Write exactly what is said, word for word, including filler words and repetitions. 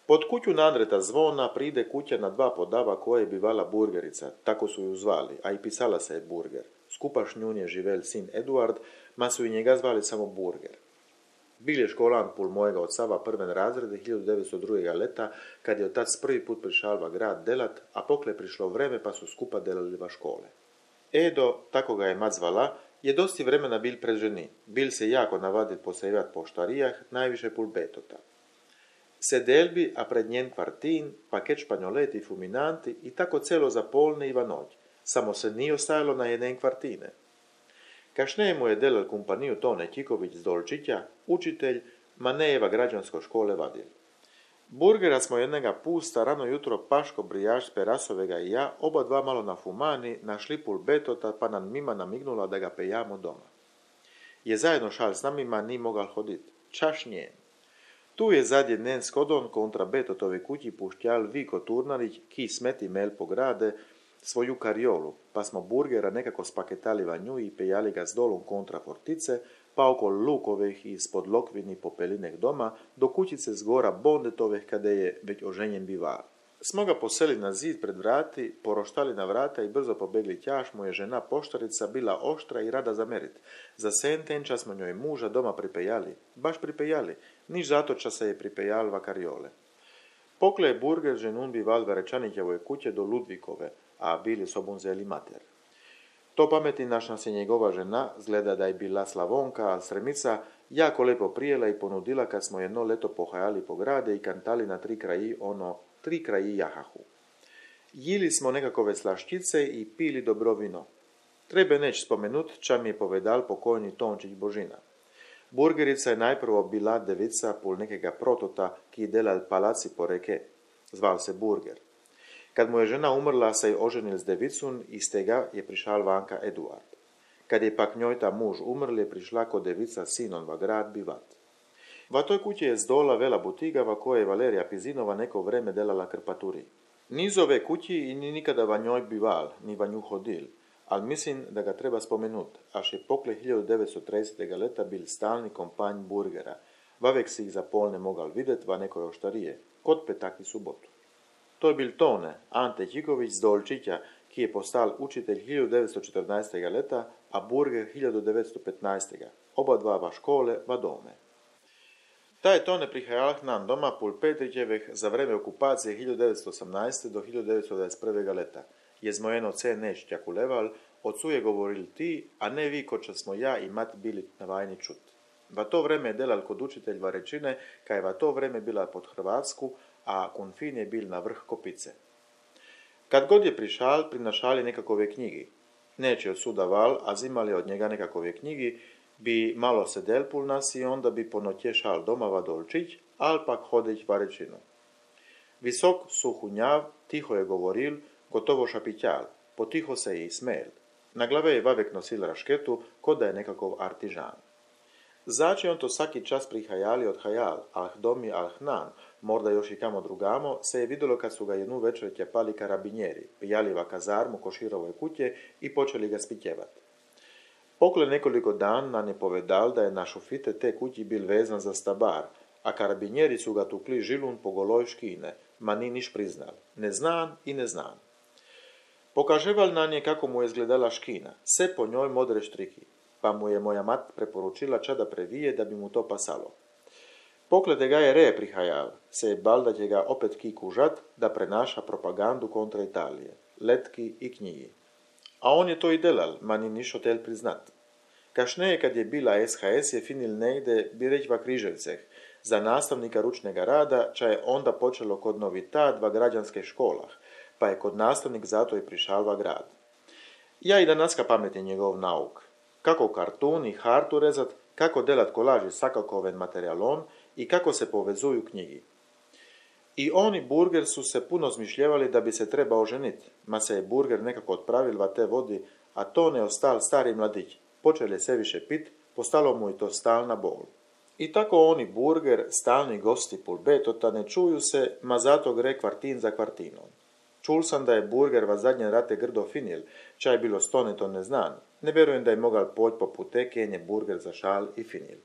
Pod kuću Nandreta zvona pride kuća na dva podava koje bi vala burgerica, tako su ju zvali, a i pisala se je burger. Skupa šnjun je živel sin Eduard, ma su i njega zvali samo burger. Bil je školan pul mojega od Sava prven razrede hiljadu devetsto drugega leta, kad je otac prvi put prišal v grad delat, a pokle prišlo vreme pa su skupa delali v škole. Edo, tako ga je mat zvala, je dosti vremena bil pred ženi. Bil se jako navadil posejvat po štarijah, najviše pul betota. Sedel bi, a pred njen kvartin, paket španjoleti fuminanti i tako celo za polne i va noć, samo se nije ostajalo na jeden kvartine. Kašneje mu je delal kompaniju Tone Kiković z Dolčića, učitelj, ma nejeva građansko škole vadil. Burgera smo jednega pusta rano jutro Paško Brijaš s Perasovega i ja, oba dva malo nafumani, našli pul betota pa nam mima namignula da ga pejamo doma. Je zajedno šal s namima ni mogal hodit. Čaš njen. Tu je zadnje dnen skodon kontra betotovi kući puštjal Viko Turnalić, ki smeti mel po grade, svoju kariolu, pa smo burgera nekako spaketali va nju i pejali ga s dolom kontra fortice, pa oko Lukovih ispod Lokvini popelinek doma, do kućice zgora Bondetovih kada je već oženjen bival. Smo ga poseli na zid pred vrati, poroštali na vrata i brzo pobegli ćaš, mu je žena poštarica bila oštra i rada zamerit. Za sentenča smo njoj muža doma pripejali, baš pripejali, niš zato ča se je pripejal va kariole. Pokle je burger ženun bival v Rečanićevoj kuće do Ludvikove, a bili sobunzeli mater. To pameti naš nas je njegova žena, zgleda da je bila Slavonka, a Sremica, jako lepo prijela i ponudila kad smo jedno leto pohajali po grade i kantali na tri kraji ono, tri kraji jahahu. Jili smo nekakove slaščice i pili dobro vino. Treba neć spomenut, ča mi je povedal pokojni Tončić Božina. Burgerica je najprvo bila devica pol nekega protota, ki delal palaci po reke. Zval se Burger. Kad mu je žena umrla, se je oženil s devicun i z tega je prišal vanka Eduard. Kad je pak njoj ta muž umrl, je prišla ko devica sinon v grad bivat. Va toj kući je zdola vela butiga, va koje je Valerija Pizinova neko vreme delala krpaturi. Niz ove kući i ni nikada va njoj bival, ni va nju hodil, al mislim da ga treba spomenut, až je pokle hiljadu devetsto tridesetega leta bil stalni kompanj Burgera. Vavek si ih za pol ne mogal videt va nekoj oštarije, kod petak i subotu. To je bil Tone, Ante Kiković z Dolčića, ki je postal učitelj hiljadu devetsto četrnaestega leta, a Burger hiljadu devetsto petnaestega. Oba dva va škole, va dome. Ta je Tone prihajal k nam doma pul Petrićevih za vreme okupacije hiljadu devetsto osemnaeste do hiljadu devetsto dvadeset prvega leta. Je z mojeno ce neć tjakuleval, ocu je govoril ti, a ne vi ko ča smo ja i mat bili navajni čut. Va to vreme je delal kod učitelj va Rečine, kaj va to vreme bila pod Hrvatsku, a konfin je bil na vrh Kopice. Kad god je prišal, prinašali nekakove knjigi. Neće od suda val, a zimali od njega nekakove knjigi, bi malo sedel pul nas i onda bi po noće šal doma va Dolčić, al pak hodeć va Rečinu. Visok, suhunjav, tiho je govoril, gotovo šapićal, potiho se je i smel. Na glave je vavek nosil rašketu, ko da je nekakov artižan. Zače on to svaki čas prihajali od hajal, ah domi, ah nan, morda još i kamo drugamo, se je vidjelo kad su ga jednu večer tjepali karabinjeri, pijali va kazarmu Koširovoj kuće i počeli ga spitjevat. Pokle nekoliko dan nam je povedal da je na šufite te kući bil vezan za stabar, a karabinjeri su ga tukli žilun po goloj škine, ma ni niš priznal, neznan i neznan. Pokaževal nam je kako mu je izgledala škina, sve po njoj modre štriki, pa mu je moja mat preporučila ča da previje da bi mu to pasalo. Pokle da ga je re prihajal, se je bal da će ga opet ki kužat da prenaša propagandu kontra Italije, letki i knjigi. A on je to i delal, ma ni niš hotel priznat. Kašneje kad je bila es ha es je finil negde bireć va Križevceh, za nastavnika ručnega rada, ča je onda počelo kod novitad va građanske školah, pa je kod nastavnik zato i prišal va grad. Ja i danas ka pamet je njegov nauk. Kako kartun i hartu rezat, kako delat kolaži sakakoven materijalon i kako se povezuju knjigi. I oni Burger su se puno zmišljevali da bi se trebao oženit, ma se je Burger nekako odpravil va te vodi, a to ne ostal stari mladić. Počel je se više pit, postalo mu i to stalna bol. I tako oni Burger, stalni gosti pul betota, ne čuju se, ma zato gre kvartin za kvartinom. Čul sam da je Burger va zadnje rate grdo finil, ča je bilo stone to ne znan. Ne vjerujem da je mogal poć poput te kenje Burger za šal i finil.